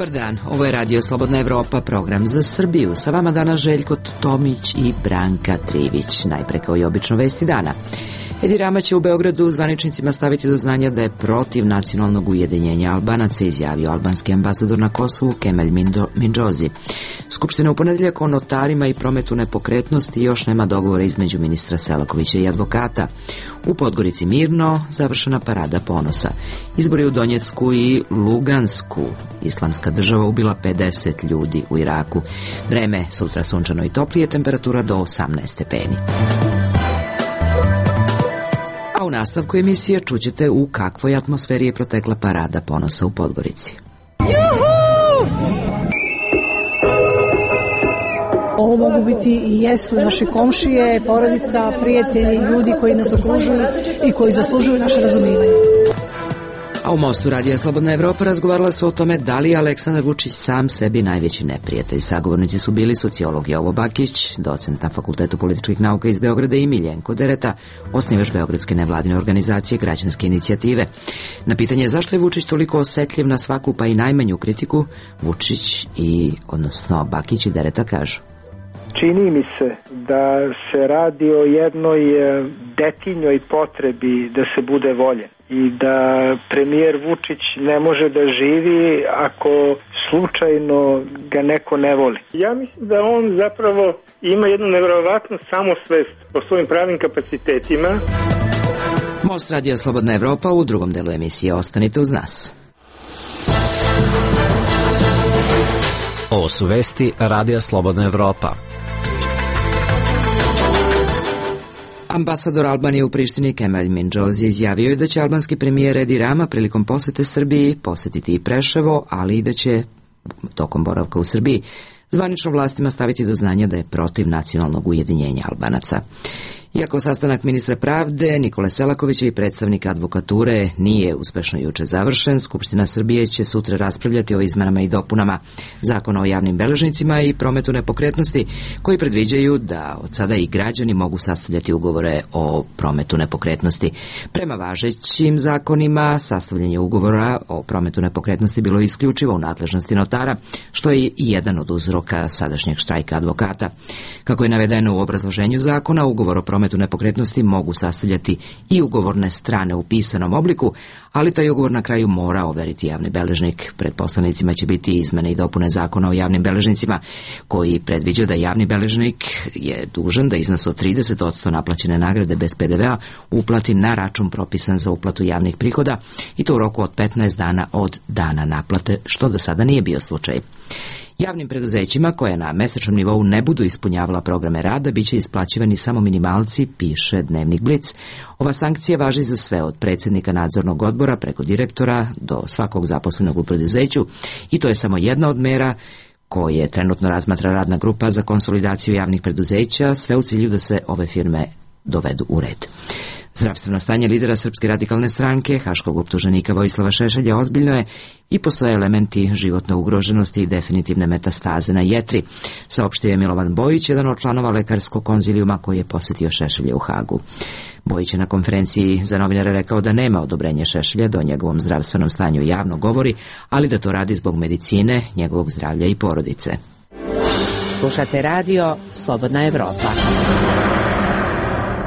Dobar dan, ovo je Radio Slobodna Evropa, program za Srbiju. Sa vama danas Željko Tomić i Branka Trivić. Najpre kao i obično vesti dana. Edi Rama će u Beogradu zvaničnicima staviti do znanja da je protiv nacionalnog ujedinjenja Albanaca, izjavio albanski ambasador na Kosovu Kemal Mindžozi. Skupština u ponedeljak o notarima i prometu nepokretnosti još nema dogovora između ministra Selakovića i advokata. U Podgorici mirno, završena parada ponosa. Izbori u Donjecku i Lugansku. Islamska država ubila 50 ljudi u Iraku. Vreme sutra sunčano i toplije, temperatura do 18 stepeni. A u nastavku emisije čućete u kakvoj atmosferi je protekla parada ponosa u Podgorici. Ovo mogu biti i jesu naše komšije, porodica, prijatelji, ljudi koji nas okružuju i koji zaslužuju naše razumijevanje. A u Mostu Radija Slobodna Evropa razgovarala se o tome da li je Aleksandar Vučić sam sebi najveći neprijatelj. Sagovornici su bili sociolog Jovo Bakić, docent na Fakultetu političkih nauka iz Beograda, i Miljenko Dereta, osnivač beogradske nevladine organizacije Građanske inicijative. Na pitanje zašto je Vučić toliko osetljiv na svaku pa i najmanju kritiku, Vučić odnosno Bakić i Dereta kažu: čini mi se da se radi o jednoj detinjoj potrebi da se bude voljen i da premijer Vučić ne može da živi ako slučajno ga neko ne voli. Ja mislim da on zapravo ima jednu nevjerovatnu samosvest po svojim pravim kapacitetima. Most Radija Slobodna Evropa u drugom delu emisije. Ostanite uz nas. Ovo su vesti Radija Slobodna Evropa. Ambasador Albanije u Prištini Kemal Mindžozi izjavio je da će albanski premijer Edi Rama prilikom posete Srbiji posetiti i Preševo, ali i da će tokom boravka u Srbiji zvanično vlastima staviti do znanja da je protiv nacionalnog ujedinjenja Albanaca. Iako sastanak ministra pravde Nikole Selakovića i predstavnika advokature nije uspešno juče završen, Skupština Srbije će sutra raspravljati o izmenama i dopunama Zakona o javnim beležnicima i prometu nepokretnosti, koji predviđaju da od sada i građani mogu sastavljati ugovore o prometu nepokretnosti. Prema važećim zakonima, sastavljanje ugovora o prometu nepokretnosti bilo je isključivo u nadležnosti notara, što je i jedan od uzroka sadašnjeg štrajka advokata. Kako je navedeno u obrazloženju zakona, ugovor o prometu nepokretnosti mogu sastavljati i ugovorne strane u pisanom obliku, ali taj ugovor na kraju mora overiti javni beležnik. Pred poslanicima će biti izmene i dopune Zakona o javnim beležnicima, koji predviđa da javni beležnik je dužan da iznos od 30% naplaćene nagrade bez PDV-a uplati na račun propisan za uplatu javnih prihoda, i to u roku od 15 dana od dana naplate, što do sada nije bio slučaj. Javnim preduzećima koje na mesečnom nivou ne budu ispunjavala programe rada biće isplaćivani samo minimalci, piše Dnevnik Blic. Ova sankcija važi za sve, od predsjednika nadzornog odbora preko direktora do svakog zaposlenog u preduzeću, i to je samo jedna od mera koje trenutno razmatra radna grupa za konsolidaciju javnih preduzeća, sve u cilju da se ove firme dovedu u red. Zdravstveno stanje lidera Srpske radikalne stranke, haškog optuženika Vojislava Šešelja, ozbiljno je i postoje elementi životne ugroženosti i definitivne metastaze na jetri, saopštio je Milovan Bojić, jedan od članova lekarskog konzilijuma koji je posjetio Šešelja u Hagu. Bojić je na konferenciji za novinare rekao da nema odobrenja Šešelja da o njegovom zdravstvenom stanju javno govori, ali da to radi zbog medicine, njegovog zdravlja i porodice. Slušate radio Slobodna Evropa.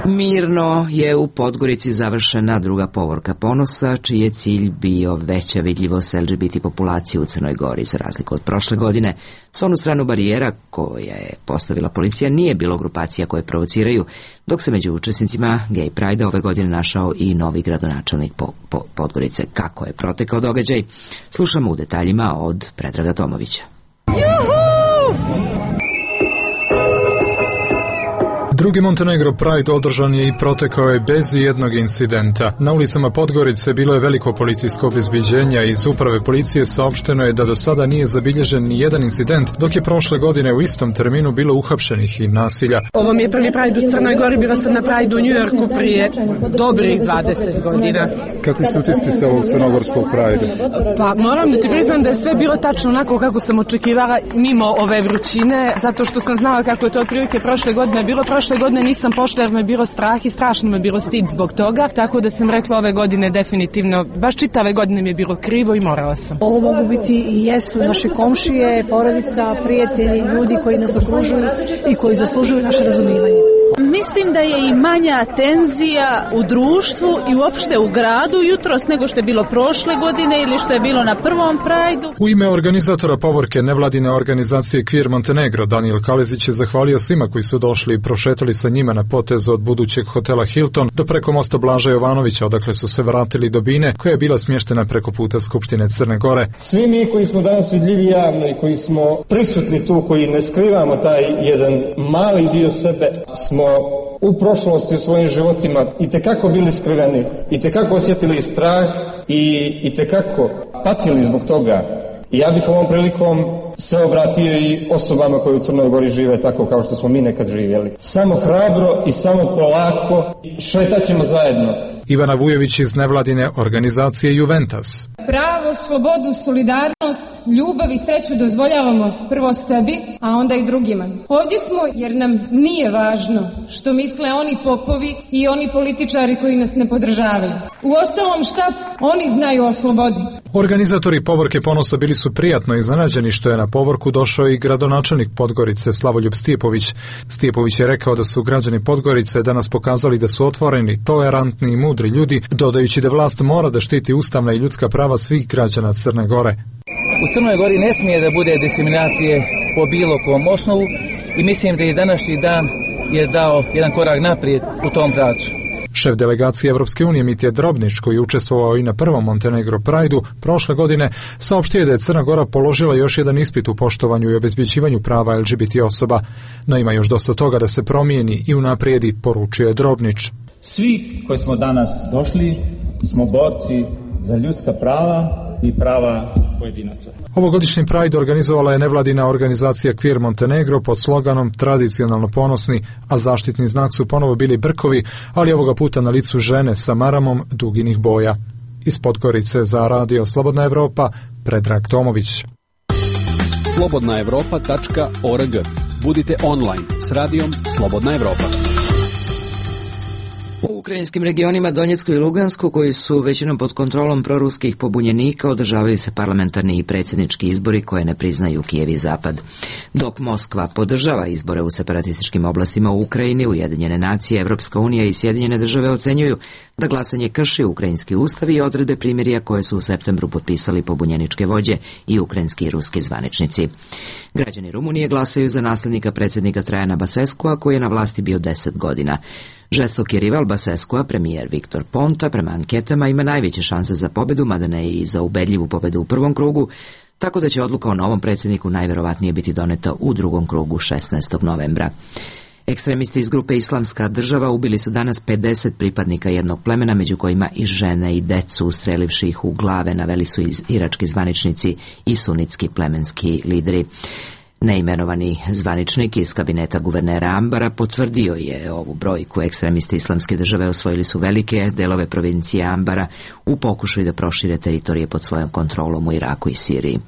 Mirno je u Podgorici završena druga povorka ponosa, čiji je cilj bio veća vidljivost LGBT populacije u Crnoj Gori. Za razliku od prošle godine, s onu stranu barijera koja je postavila policija nije bilo grupacija koje provociraju, dok se među učesnicima Gay Pride ove godine našao i novi gradonačelnik Podgorice. Kako je protekao događaj, slušamo u detaljima od Predraga Tomovića. Drugi Montenegro Pride održan je i protekao je bez jednog incidenta. Na ulicama Podgorice bilo je veliko policijsko obezbeđenje, a iz uprave policije saopšteno je da do sada nije zabilježen ni jedan incident, dok je prošle godine u istom terminu bilo uhapšenih i nasilja. Ovo mi je prvi Pride u Crnoj Gori, bila sam na Pride u Njujorku prije dobrih 20 godina. Kakvi su utisci sa ovog crnogorskog Pride? Pa moram da ti priznam da je sve bilo tačno onako kako sam očekivala, mimo ove vrućine, zato što sam znala kako je to otprilike prošle godine bilo. Prošle prošle godine nisam pošla jer me je bilo strah i strašno me je bilo stid zbog toga, tako da sam rekla ove godine definitivno, baš čitave godine mi je bilo krivo i morala sam. Ovo mogu biti i jesu naše komšije, porodica, prijatelji, ljudi koji nas okružuju i koji zaslužuju naše razumijevanje. Mislim da je i manja tenzija u društvu i uopšte u gradu jutros nego što je bilo prošle godine ili što je bilo na prvom Prideu. U ime organizatora povorke nevladine organizacije Queer Montenegro, Daniel Kalezić je zahvalio svima koji su došli i prošetali sa njima na potezu od budućeg hotela Hilton do preko mosta Blaža Jovanovića, odakle su se vratili do bine koja je bila smještena preko puta Skupštine Crne Gore. Svi mi koji smo danas vidljivi javno i koji smo prisutni tu, koji ne skrivamo taj jedan mali dio sebe, smo u prošlosti u svojim životima itekako bili skriveni, itekako osjetili strah i itekako patili zbog toga. I ja bih ovom prilikom se obratio i osobama koje u Crnoj Gori žive tako kao što smo mi nekad živjeli. Samo hrabro i samo polako šetat ćemo zajedno. Ivana Vujović iz nevladine organizacije Juventus. Pravo, slobodu, solidarnost, ljubav i sreću dozvoljavamo prvo sebi, a onda i drugima. Ovdje smo jer nam nije važno što misle oni popovi i oni političari koji nas ne podržavaju. Uostalom šta oni znaju o slobodi? Organizatori povorke ponosa bili su prijatno iznenađeni što je na povorku došao i gradonačelnik Podgorice Slavoljub Stijepović. Stijepović je rekao da su građani Podgorice danas pokazali da su otvoreni, tolerantni i mudri ljudi, dodajući da vlast mora da štiti ustavna i ljudska prava svih građana Crne Gore. U Crnoj Gori ne smije da bude diskriminacije po bilo kom osnovu i mislim da i današnji dan je dao jedan korak naprijed u tom pravcu. Šef delegacije Evropske unije Mitja Drobnić, koji je učestvovao i na prvom Montenegro Prideu prošle godine, saopštio je da je Crna Gora položila još jedan ispit u poštovanju i obezbeđivanju prava LGBT osoba, no ima još dosta toga da se promijeni i unaprijedi, poručio je Drobnić. Svi koji smo danas došli smo borci za ljudska prava i prava pojedinaca. Ovogodišnji Pride organizovala je nevladina organizacija Queer Montenegro pod sloganom Tradicionalno ponosni, a zaštitni znak su ponovo bili brkovi, ali ovoga puta na licu žene sa maramom duginih boja. Iz Podgorice za Radio Slobodna Evropa, Predrag Tomović. slobodnaevropa.org. Budite online s radijom Slobodna Evropa. U ukrajinskim regionima Donjecku i Lugansku, koji su većinom pod kontrolom proruskih pobunjenika, održavaju se parlamentarni i predsjednički izbori koje ne priznaju Kijev i Zapad. Dok Moskva podržava izbore u separatističkim oblastima u Ukrajini, Ujedinjene nacije, Evropska unija i Sjedinjene države ocenjuju da glasanje krši ukrajinski ustav i odredbe primirja koje su u septembru potpisali pobunjeničke vođe i ukrajinski i ruski zvaničnici. Građani Rumunije glasaju za naslednika predsjednika Trajana Baseskua, koji je na vlasti bio 10 godina. Žestoki rival Baseskua, premijer Viktor Ponta, prema anketama ima najveće šanse za pobedu, mada ne i za ubedljivu pobedu u prvom krugu, tako da će odluka o novom predsjedniku najverovatnije biti doneta u drugom krugu 16. novembra. Ekstremisti iz grupe Islamska država ubili su danas 50 pripadnika jednog plemena, među kojima i žene i decu, ustrelivši ih u glave, naveli su irački zvaničnici i sunitski plemenski lideri. Neimenovani zvaničnik iz kabineta guvernera Ambara potvrdio je ovu brojku. Ekstremisti Islamske države osvojili su velike delove provincije Ambara u pokušaju da prošire teritorije pod svojom kontrolom u Iraku i Siriji.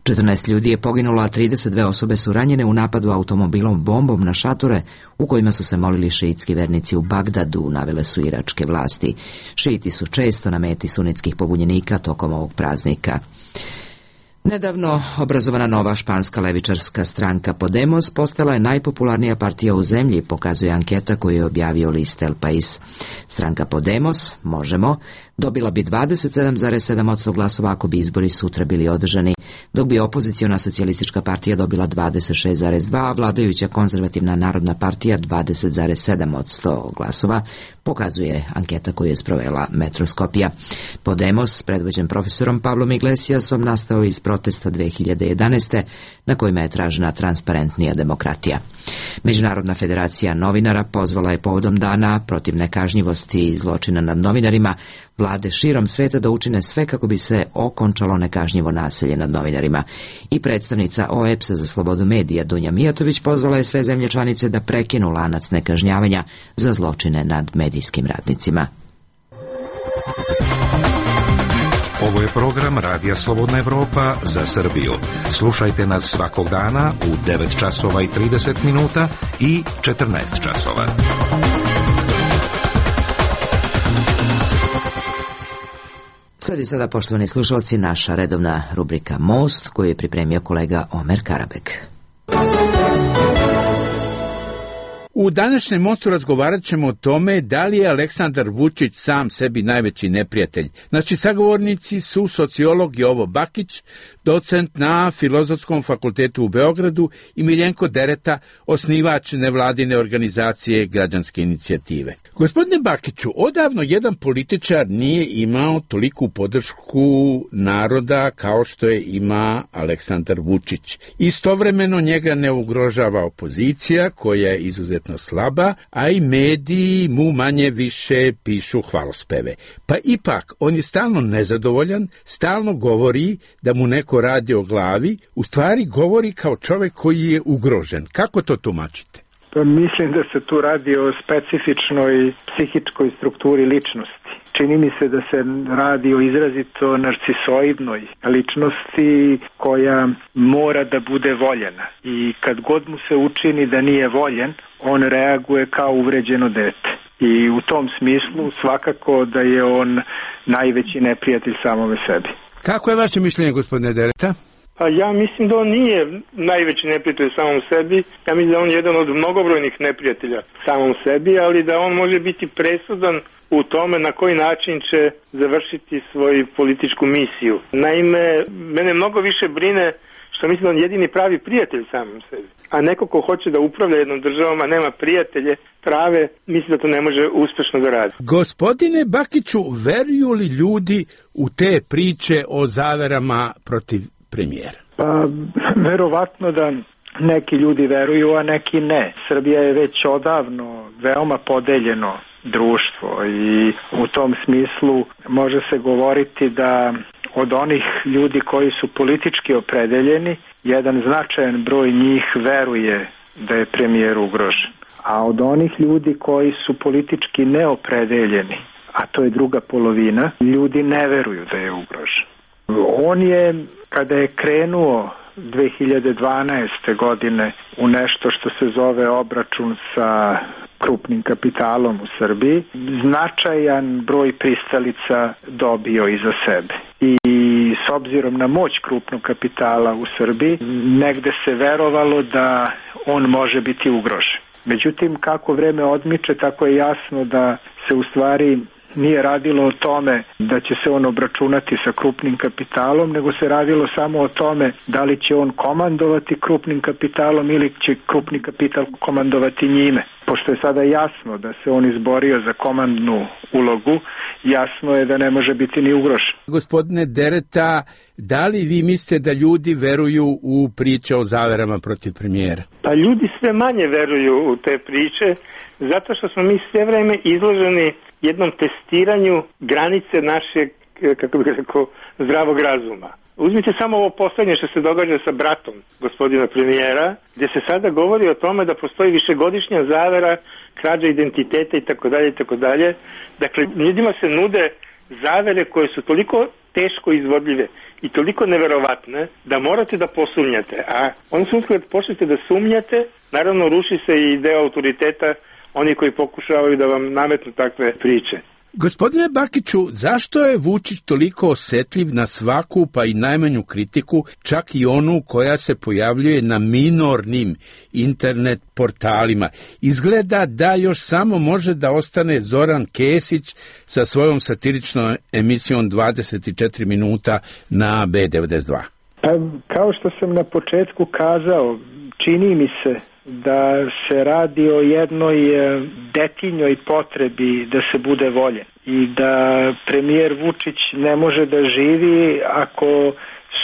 14 ljudi je poginulo, a 32 osobe su ranjene u napadu automobilom bombom na šatore u kojima su se molili šiitski vernici u Bagdadu, navele su iračke vlasti. Šiiti su često na meti sunitskih pobunjenika tokom ovog praznika. Nedavno obrazovana nova španska levičarska stranka Podemos postala je najpopularnija partija u zemlji, pokazuje anketa koju je objavio list El País. Stranka Podemos, Možemo, dobila bi 27,7% glasova ako bi izbori sutra bili održani, dok bi opoziciona socijalistička partija dobila 26,2%, a vladajuća konzervativna narodna partija 20,7% glasova, pokazuje anketa koju je sprovela Metroskopija. Podemos, predvođen profesorom Pablom Iglesiasom, nastao iz protesta 2011. na kojima je tražena transparentnija demokratija. Međunarodna federacija novinara pozvala je povodom dana protiv nekažnjivosti i zločina nad novinarima vlade širom sveta da učine sve kako bi se okončalo nekažnjivo nasilje nad novinarima. I predstavnica OEBS-a za slobodu medija Dunja Mijatović pozvala je sve zemlje članice da prekinu lanac nekažnjavanja za zločine nad medijskim radnicima. Ovo je program Radija Slobodna Evropa za Srbiju. Slušajte nas svakog dana u 9 časova i 30 minuta i 14 časova. Sad i sada, poštovani slušalci, naša redovna rubrika Most, koju je pripremio kolega Omer Karabek. U današnjem Mostu razgovarat ćemo o tome da li je Aleksandar Vučić sam sebi najveći neprijatelj. Naši sagovornici su sociolog Jovo Bakić, docent na Filozofskom fakultetu u Beogradu, i Miljenko Dereta, osnivač nevladine organizacije Građanske inicijative. Gospodine Bakiću, odavno jedan političar nije imao toliku podršku naroda kao što je ima Aleksandar Vučić. Istovremeno njega ne ugrožava opozicija, koja je izuzetno slaba, a i mediji mu manje više pišu hvalospeve. Pa ipak, on je stalno nezadovoljan, stalno govori da mu neko radi o glavi, u stvari govori kao čovjek koji je ugrožen. Kako to tumačite? Mislim da se tu radi o specifičnoj psihičkoj strukturi ličnosti. Čini mi se da se radi o izrazito narcisoidnoj ličnosti koja mora da bude voljena. I kad god mu se učini da nije voljen, on reaguje kao uvređeno dete. I u tom smislu svakako da je on najveći neprijatelj samome sebi. Kako je vaše mišljenje, gospodine Dereta? Pa ja mislim da on nije najveći neprijatelj samom sebi. Ja mislim da on je jedan od mnogobrojnih neprijatelja samom sebi, ali da on može biti presudan u tome na koji način će završiti svoju političku misiju. Naime, mene mnogo više brine što mislim da on jedini pravi prijatelj samom sebi. A neko ko hoće da upravlja jednom državom, a nema prijatelje prave, mislim da to ne može uspešno da radi. Gospodine Bakiću, veruju li ljudi u te priče o zaverama protiv premijera? Pa, verovatno da neki ljudi veruju, a neki ne. Srbija je već odavno veoma podeljeno društvo i u tom smislu može se govoriti da od onih ljudi koji su politički opredeljeni, jedan značajan broj njih veruje da je premijer ugrožen. A od onih ljudi koji su politički neopredeljeni, a to je druga polovina, ljudi ne veruju da je ugrožen. On je, kada je krenuo 2012. godine u nešto što se zove obračun sa krupnim kapitalom u Srbiji, značajan broj pristalica dobio iza sebe. I s obzirom na moć krupnog kapitala u Srbiji, negde se verovalo da on može biti ugrožen. Međutim, kako vreme odmiče, tako je jasno da se u stvari nije radilo o tome da će se on obračunati sa krupnim kapitalom, nego se radilo samo o tome da li će on komandovati krupnim kapitalom ili će krupni kapital komandovati njime. Pošto je sada jasno da se on izborio za komandnu ulogu, jasno je da ne može biti ni ugrožen. Gospodine Dereta, da li vi mislite da ljudi veruju u priče o zaverama protiv premijera? Pa ljudi sve manje veruju u te priče, zato što smo mi sve vreme izloženi jednom testiranju granice našeg, kako bih rekao, zdravog razuma. Uzmite samo ovo poslednje što se događa sa bratom gospodina premijera, gdje se sada govori o tome da postoji višegodišnja zavera, krađa identiteta itd. Dakle, ljudima se nude zavere koje su toliko teško izvodljive i toliko neverovatne da morate da posumnjate. A ono su kad počnete da sumnjate, naravno ruši se i deo autoriteta oni koji pokušavaju da vam nametnu takve priče. Gospodine Bakiću, zašto je Vučić toliko osjetljiv na svaku pa i najmanju kritiku, čak i onu koja se pojavljuje na minornim internet portalima? Izgleda da još samo može da ostane Zoran Kesić sa svojom satiričnom emisijom 24 minuta na B92. Kao što sam na početku kazao, čini mi se da se radi o jednoj detinjoj potrebi da se bude voljen i da premijer Vučić ne može da živi ako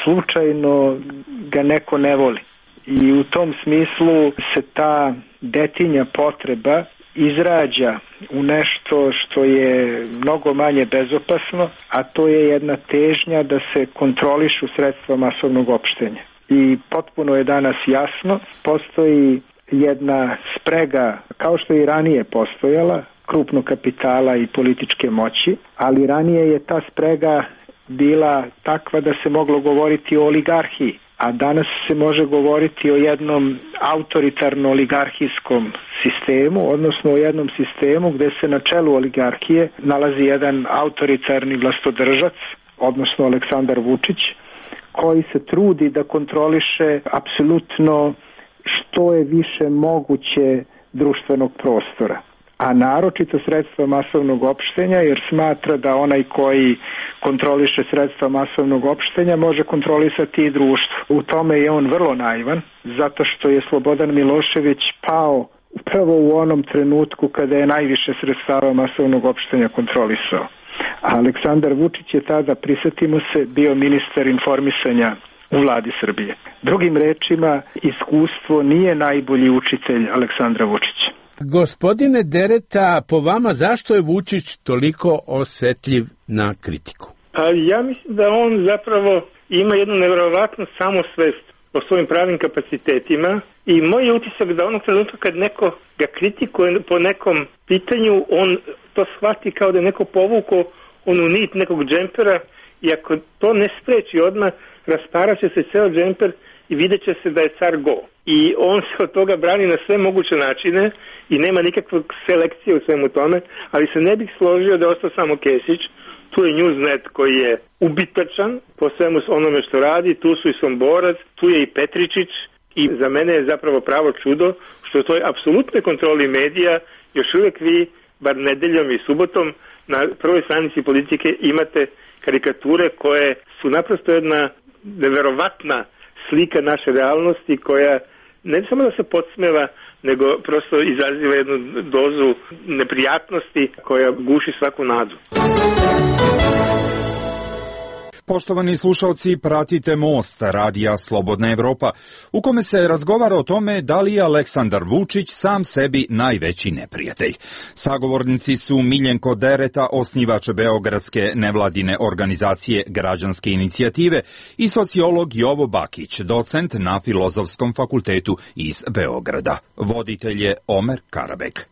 slučajno ga neko ne voli. I u tom smislu se ta detinja potreba izrađa u nešto što je mnogo manje bezopasno, a to je jedna težnja da se kontrolišu sredstva masovnog opštenja. I potpuno je danas jasno, postoji jedna sprega, kao što i ranije postojala, krupnog kapitala i političke moći, ali ranije je ta sprega bila takva da se moglo govoriti o oligarhiji, a danas se može govoriti o jednom autoritarno-oligarhijskom sistemu, odnosno o jednom sistemu gde se na čelu oligarhije nalazi jedan autoritarni vlastodržac, odnosno Aleksandar Vučić, koji se trudi da kontroliše apsolutno što je više moguće društvenog prostora, a naročito sredstva masovnog opštenja, jer smatra da onaj koji kontroliše sredstva masovnog opštenja može kontrolisati i društvo. U tome je on vrlo naivan, zato što je Slobodan Milošević pao upravo u onom trenutku kada je najviše sredstava masovnog opštenja kontrolisao. A Aleksandar Vučić je tada, prisetimo se, bio ministar informisanja u vladi Srbije. Drugim rečima, iskustvo nije najbolji učitelj Aleksandra Vučića. Gospodine Dereta, po vama zašto je Vučić toliko osetljiv na kritiku? Ja mislim da on zapravo ima jednu nevjerovatnu samosvest o svojim pravim kapacitetima i moj je utisak da onog trenutka kad neko ga kritikuje po nekom pitanju, on to shvati kao da je neko povukao onu nit nekog džempera i ako to ne spreči odmah, rasparaće se ceo džemper i vidjet će se da je car go. I on se od toga brani na sve moguće načine i nema nikakve selekcije u svemu tome, ali se ne bih složio da je ostao samo Kesić. Tu je Newsnet koji je ubitačan po svemu onome što radi, tu su i Somborac, tu je i Petričić i za mene je zapravo pravo čudo što u toj apsolutnoj kontroli medija još uvijek vi, bar nedeljom i subotom, na prvoj stranici Politike imate karikature koje su naprosto jedna neverovatna slika naše realnosti koja ne samo da se podsmeva, nego prosto izaziva jednu dozu neprijatnosti koja guši svaku nadu. Poštovani slušalci, pratite Most, radija Slobodna Evropa, u kome se razgovara o tome da li je Aleksandar Vučić sam sebi najveći neprijatelj. Sagovornici su Miljenko Dereta, osnivač beogradske nevladine organizacije Građanske inicijative, i sociolog Jovo Bakić, docent na Filozofskom fakultetu iz Beograda. Voditelj je Omer Karabek.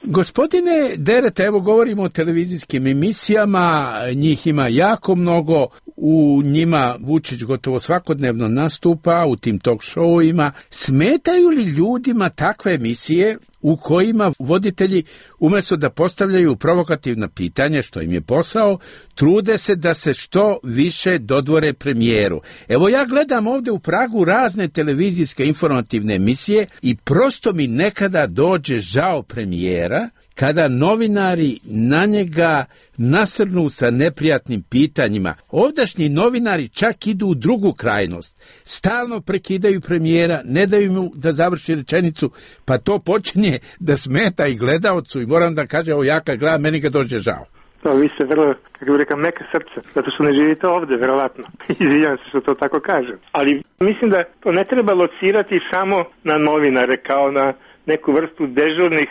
Gospodine Dereta, evo govorimo o televizijskim emisijama, njih ima jako mnogo, u njima Vučić gotovo svakodnevno nastupa, u tim talk showima. Smetaju li ljudima takve emisije u kojima voditelji, umjesto da postavljaju provokativna pitanja, što im je posao, trude se da se što više dodvore premijeru? Evo ja gledam ovdje u Pragu razne televizijske informativne emisije i prosto mi nekada dođe žao premijera kada novinari na njega nasrnu sa neprijatnim pitanjima. Ovdašnji novinari čak idu u drugu krajnost. Stalno prekidaju premijera, ne daju mu da završi rečenicu, pa to počinje da smeta i gledaocu i moram da kaže, ovo ja kad gledam, meni ga dođe žao. To vi ste vrlo, kako bih rekao, meka srce, zato što ne živite ovdje, verovatno. Izvinjam se što to tako kažem. Ali mislim da to ne treba locirati samo na novinare, kao na neku vrstu dežurnih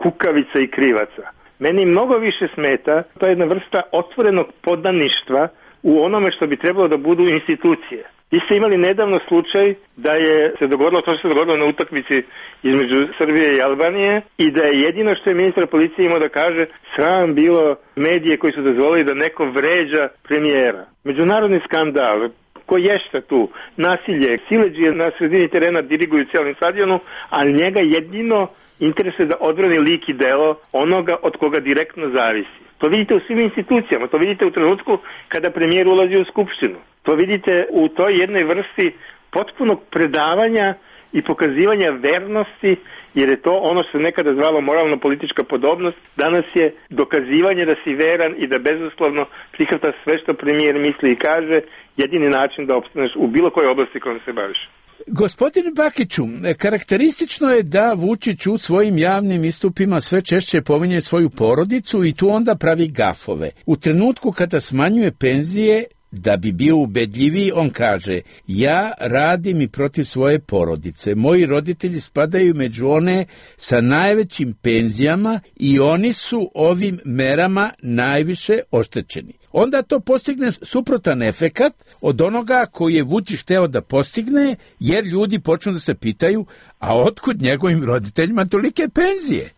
kukavica i krivaca. Meni mnogo više smeta, to je jedna vrsta otvorenog podaništva u onome što bi trebalo da budu institucije. Vi ste imali nedavno slučaj da je se dogodilo to što se dogodilo na utakmici između Srbije i Albanije i da je jedino što je ministar policije imao da kaže, sram bilo medije koji su dozvolili da neko vređa premijera. Međunarodni skandal, ko ješta tu, nasilje, siledžije na sredini terena diriguju cijelim stadionu, ali njega jedino interesuje da odbrani lik i delo onoga od koga direktno zavisi. To vidite u svim institucijama, to vidite u trenutku kada premijer ulazi u skupštinu. To vidite u toj jednoj vrsti potpunog predavanja i pokazivanja vernosti, jer je to ono što se nekada zvalo moralno-politička podobnost. Danas je dokazivanje da si veran i da bezuslovno prihvata sve što premijer misli i kaže, jedini način da opstaneš u bilo kojoj oblasti kojom se baviš. Gospodine Bakiću, karakteristično je da Vučić u svojim javnim istupima sve češće pominje svoju porodicu i tu onda pravi gafove. U trenutku kada smanjuje penzije, da bi bio ubedljiviji, on kaže, ja radim i protiv svoje porodice. Moji roditelji spadaju među one sa najvećim penzijama i oni su ovim merama najviše oštećeni. Onda to postigne suprotan efekat od onoga koji je Vučić hteo da postigne, jer ljudi počnu da se pitaju, a otkud njegovim roditeljima tolike penzije?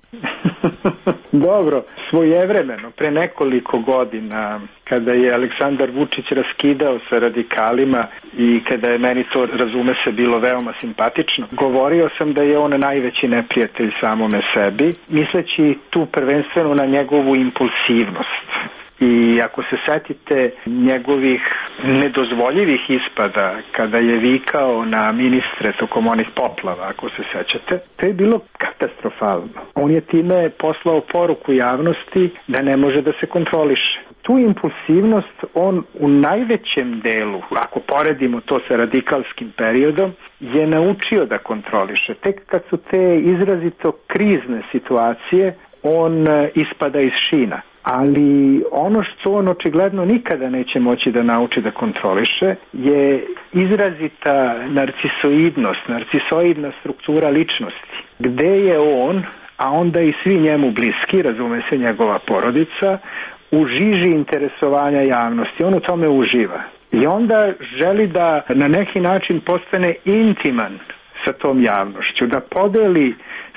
Dobro, svojevremeno, pre nekoliko godina, kada je Aleksandar Vučić raskidao sa radikalima i kada je meni to, razume se, bilo veoma simpatično, govorio sam da je on najveći neprijatelj samome sebi, misleći tu prvenstveno na njegovu impulsivnost. I ako se setite njegovih nedozvoljivih ispada kada je vikao na ministre tokom onih poplava, ako se sećate, to je bilo katastrofalno. On je time poslao poruku javnosti da ne može da se kontroliše. Tu impulsivnost on u najvećem delu, ako poredimo to sa radikalskim periodom, je naučio da kontroliše. Tek kad su te izrazito krizne situacije, on ispada iz šina. Ali ono što on očigledno nikada neće moći da nauči da kontroliše je izrazita narcisoidna struktura ličnosti. Gde je on, a onda i svi njemu bliski, razume se njegova porodica, u žiži interesovanja javnosti. On u tome uživa. I onda želi da na neki način postane intiman sa tom javnošću, da podeli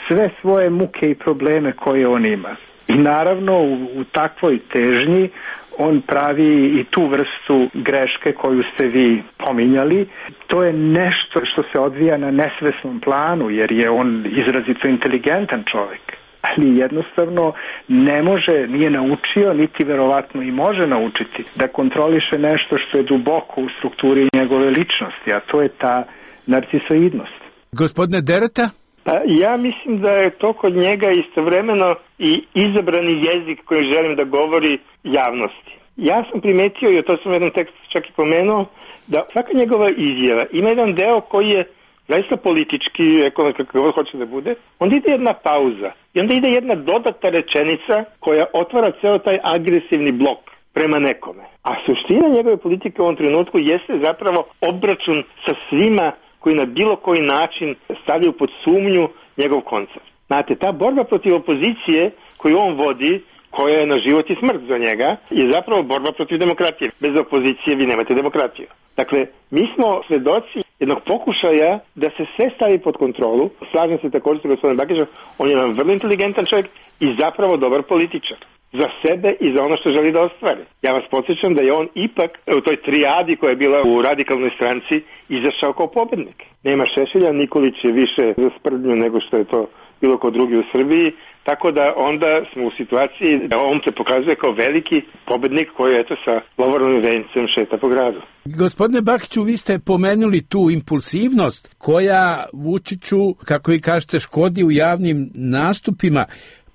sve svoje muke i probleme koje on ima. I naravno u takvoj težnji on pravi i tu vrstu greške koju ste vi pominjali. To je nešto što se odvija na nesvesnom planu, jer je on izrazito inteligentan čovjek. Ali jednostavno ne može, nije naučio, niti verovatno i može naučiti da kontroliše nešto što je duboko u strukturi njegove ličnosti, a to je ta narcisoidnost. Gospodine Dereta? Pa ja mislim da je to kod njega istovremeno i izabrani jezik koji želim da govori javnosti. Ja sam primetio, i to sam u jednom tekstu čak i pomenuo, da svaka njegova izjava ima jedan deo koji je zaista politički, ekonomski, kako hoće da bude, onda ide jedna pauza i onda ide jedna dodatna rečenica koja otvara ceo taj agresivni blok prema nekome. A suština njegove politike u ovom trenutku jeste zapravo obračun sa svima koji na bilo koji način stavljaju pod sumnju njegov koncept. Znate, ta borba protiv opozicije koju on vodi, koja je na život i smrt za njega, je zapravo borba protiv demokratije. Bez opozicije vi nemate demokratiju. Dakle, mi smo svedoci jednog pokušaja da se sve stavi pod kontrolu. Slažem se također sa gospodinom Bakićem, on je jedan vrlo inteligentan čovjek i zapravo dobar političar. Za sebe i za ono što želi da ostvari. Ja vas podsjećam da je on ipak u toj trijadi koja je bila u radikalnoj stranci izašao kao pobednik. Nema Šešelja, Nikolić je više za sprdnju nego što je to bilo kod drugi u Srbiji, tako da onda smo u situaciji da on se pokazuje kao veliki pobednik koji eto sa lovornim vencem šeta po gradu. Gospodine Bakiću, vi ste pomenuli tu impulsivnost koja Vučiću, kako vi kažete, škodi u javnim nastupima.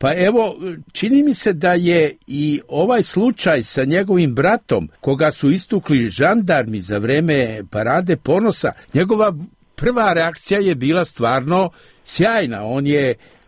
Pa evo, čini mi se da je i ovaj slučaj sa njegovim bratom, koga su istukli žandarmi za vreme Parade ponosa, njegova prva reakcija je bila stvarno sjajna.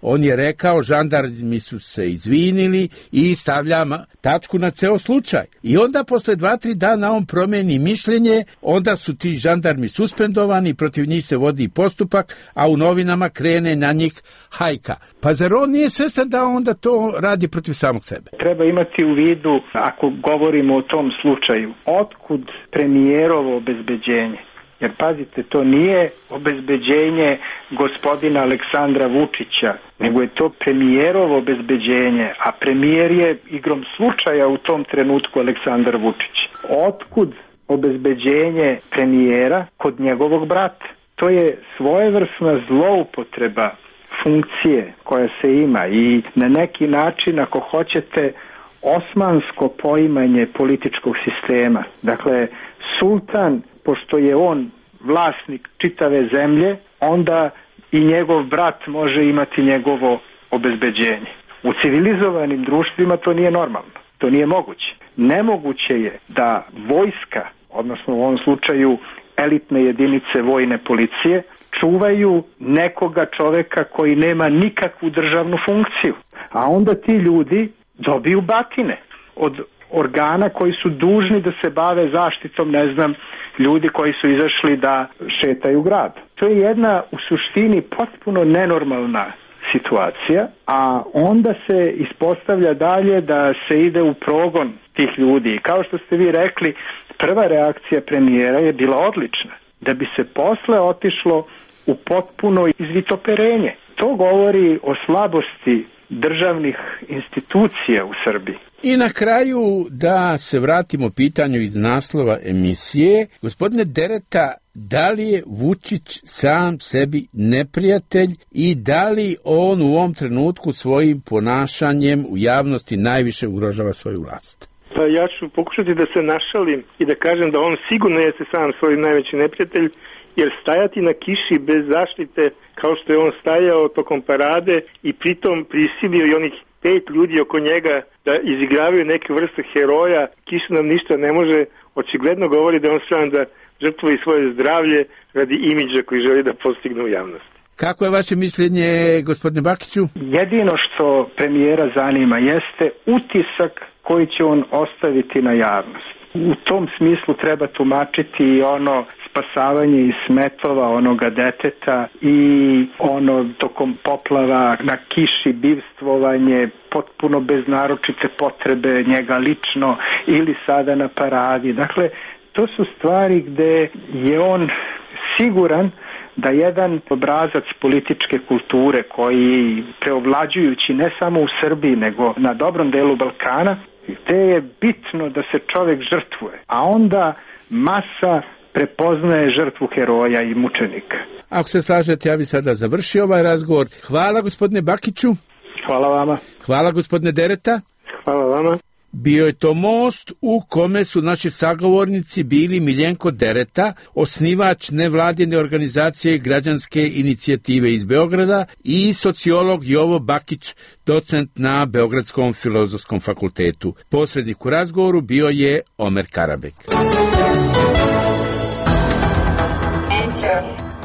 On je rekao, žandarmi su se izvinili i stavlja tačku na ceo slučaj. I onda posle 2-3 dana on promeni mišljenje, onda su ti žandarmi suspendovani, protiv njih se vodi postupak, a u novinama krene na njih hajka. Pa zar on nije svestan da onda to radi protiv samog sebe? Treba imati u vidu, ako govorimo o tom slučaju, otkud premijerovo obezbeđenje? Jer pazite, to nije obezbeđenje gospodina Aleksandra Vučića, nego je to premijerovo obezbeđenje, a premijer je igrom slučaja u tom trenutku Aleksandar Vučić. Otkud obezbeđenje premijera kod njegovog brata? To je svojevrsna zloupotreba funkcije koja se ima i na neki način, ako hoćete, osmansko poimanje političkog sistema. Dakle, sultan, pošto je on vlasnik čitave zemlje, onda i njegov brat može imati njegovo obezbeđenje. U civilizovanim društvima to nije normalno, to nije moguće. Nemoguće je da vojska, odnosno u ovom slučaju elitne jedinice vojne policije, čuvaju nekoga čoveka koji nema nikakvu državnu funkciju. A onda ti ljudi dobiju batine od organa koji su dužni da se bave zaštitom, ne znam, ljudi koji su izašli da šetaju grad. To je jedna u suštini potpuno nenormalna situacija, a onda se ispostavlja dalje da se ide u progon tih ljudi. I kao što ste vi rekli, prva reakcija premijera je bila odlična, da bi se posle otišlo u potpuno izvitoperenje. To govori o slabosti državnih institucija u Srbiji. I na kraju da se vratimo pitanju iz naslova emisije. Gospodine Dereta, da li je Vučić sam sebi neprijatelj i da li on u ovom trenutku svojim ponašanjem u javnosti najviše ugrožava svoju vlast? Pa ja ću pokušati da se našalim i da kažem da on sigurno jeste sam svoj najveći neprijatelj, jer stajati na kiši bez zaštite kao što je on stajao tokom parade i pritom prisilio i onih 5 ljudi oko njega da izigravaju neke vrste heroja, kiša nam ništa ne može, očigledno govori da on spreman da žrtvuje svoje zdravlje radi imidža koji želi da postigne u javnosti. Kako je vaše mišljenje, gospodine Bakiću? Jedino što premijera zanima jeste utisak koji će on ostaviti na javnost. U tom smislu treba tumačiti ono spasavanje iz smetova onoga deteta i ono tokom poplava na kiši bivstvovanje potpuno bez naročite potrebe njega lično ili sada na paradi. Dakle, to su stvari gde je on siguran da jedan obrazac političke kulture koji preovlađujući ne samo u Srbiji nego na dobrom delu Balkana, gde je bitno da se čovjek žrtvuje, a onda masa prepoznaje žrtvu heroja i mučenika. Ako se slažete, ja bih sada završio ovaj razgovor. Hvala gospodine Bakiću. Hvala vama. Hvala gospodine Dereta. Hvala vama. Bio je to most u kome su naši sagovornici bili Miljenko Dereta, osnivač nevladine organizacije građanske inicijative iz Beograda, i sociolog Jovo Bakić, docent na Beogradskom filozofskom fakultetu. Posrednik u razgovoru bio je Omer Karabek.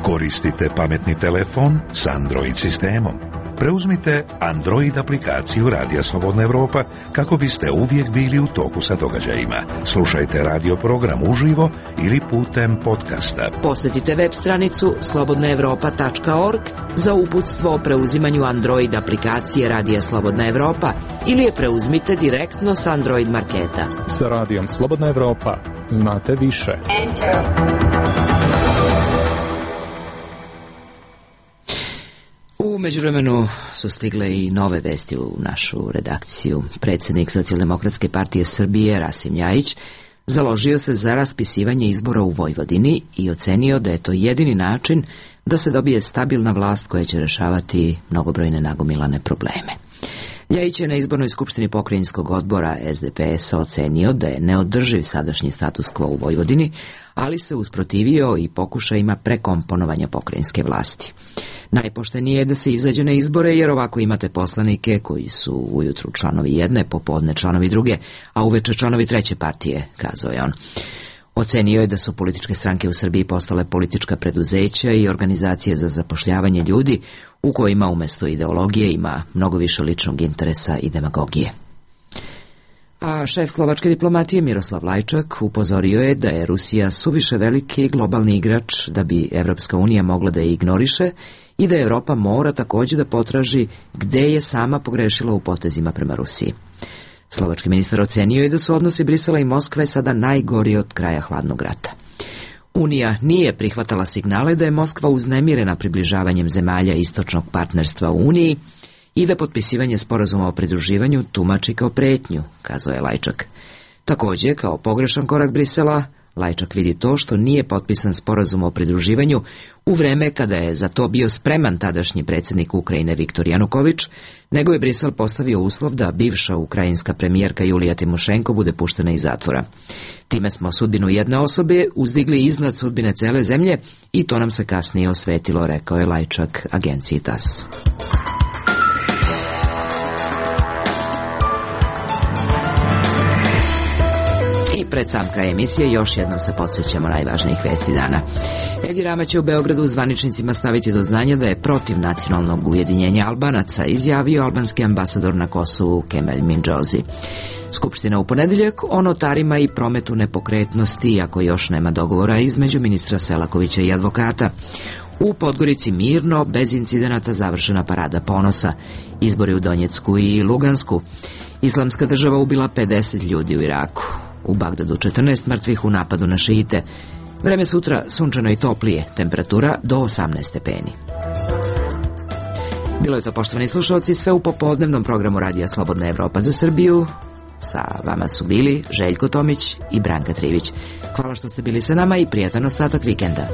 Koristite pametni telefon s Android sistemom. Preuzmite Android aplikaciju Radija Slobodna Evropa kako biste uvijek bili u toku sa događajima. Slušajte radio program uživo ili putem podcasta. Posjetite web stranicu slobodnaevropa.org za uputstvo o preuzimanju Android aplikacije Radija Slobodna Evropa ili je preuzmite direktno s Android marketa. Sa Radijom Slobodna Evropa znate više. U međuvremenu su stigle i nove vesti u našu redakciju. Predsjednik Socijaldemokratske partije Srbije Rasim Ljajić založio se za raspisivanje izbora u Vojvodini i ocenio da je to jedini način da se dobije stabilna vlast koja će rešavati mnogobrojne nagomilane probleme. Ljajić je na izbornoj skupštini pokrajinskog odbora SDP-a ocenio da je neodrživ sadašnji status quo u Vojvodini, ali se usprotivio i pokušajima prekomponovanja pokrajinske vlasti. Najpoštenije je da se izađe na izbore, jer ovako imate poslanike koji su ujutru članovi jedne, popodne članovi druge, a uveče članovi treće partije, kazao je on. Ocenio je da su političke stranke u Srbiji postale politička preduzeća i organizacije za zapošljavanje ljudi u kojima umjesto ideologije ima mnogo više ličnog interesa i demagogije. A šef slovačke diplomatije Miroslav Lajčak upozorio je da je Rusija suviše veliki globalni igrač da bi Evropska unija mogla da je ignoriše i da Evropa mora također da potraži gde je sama pogrešila u potezima prema Rusiji. Slovački ministar ocenio je da su odnosi Brisela i Moskve sada najgori od kraja hladnog rata. Unija nije prihvatala signale da je Moskva uznemirena približavanjem zemalja istočnog partnerstva u Uniji i da potpisivanje sporazuma o pridruživanju tumači kao pretnju, kazao je Lajčak. Također, kao pogrešan korak Brisela, Lajčak vidi to što nije potpisan sporazum o pridruživanju u vreme kada je za to bio spreman tadašnji predsjednik Ukrajine Viktor Januković, nego je Brisel postavio uslov da bivša ukrajinska premijerka Julija Timošenko bude puštena iz zatvora. Time smo sudbinu jedne osobe uzdigli iznad sudbine cele zemlje i to nam se kasnije osvetilo, rekao je Lajčak agenciji TASS. Pred sam kraj emisije još jednom se podsjećamo najvažnijih vesti dana. Edi Rama će u Beogradu zvaničnicima staviti do znanja da je protiv nacionalnog ujedinjenja Albanaca, izjavio albanski ambasador na Kosovu Kemal Mindžozi. Skupština u ponedjeljak o notarima i prometu nepokretnosti, iako još nema dogovora između ministra Selakovića i advokata. U Podgorici mirno, bez incidenata završena parada ponosa. Izbori u Donjecku i Lugansku. Islamska država ubila 50 ljudi u Iraku. U Bagdadu 14 mrtvih u napadu na šiite. Vreme sutra sunčano i toplije, temperatura do 18 stepeni. Bilo je to, poštovani slušalci, sve u popodnevnom programu Radija Slobodna Evropa za Srbiju. Sa vama su bili Željko Tomić i Branka Trivić. Hvala što ste bili sa nama i prijatan ostatak vikenda.